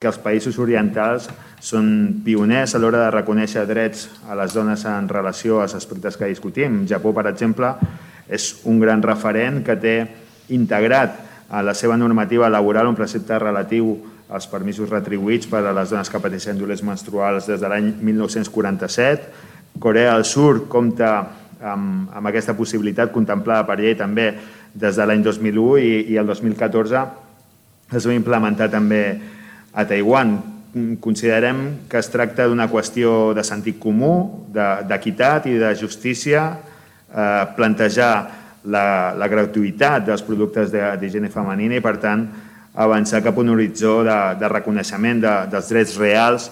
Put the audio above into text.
que els països orientals són pioners a l'hora de reconèixer drets a les dones en relació als aspectes que discutim. Japó, per exemple, és un gran referent que té integrat a la seva normativa laboral un precepte relatiu als permisos retribuïts per a les dones que pateixen dolents menstruals des de l'any 1947. Corea del Sud compta amb aquesta possibilitat contemplada per llei també des de l'any 2001 i el 2014 es va implementar també a Taiwan. Considerem que es tracta d'una qüestió de sentit comú, d'equitat i de justícia, plantejar la gratuïtat dels productes d'higiene femenina i, per tant, avançar cap a un horitzó de reconeixement dels drets reals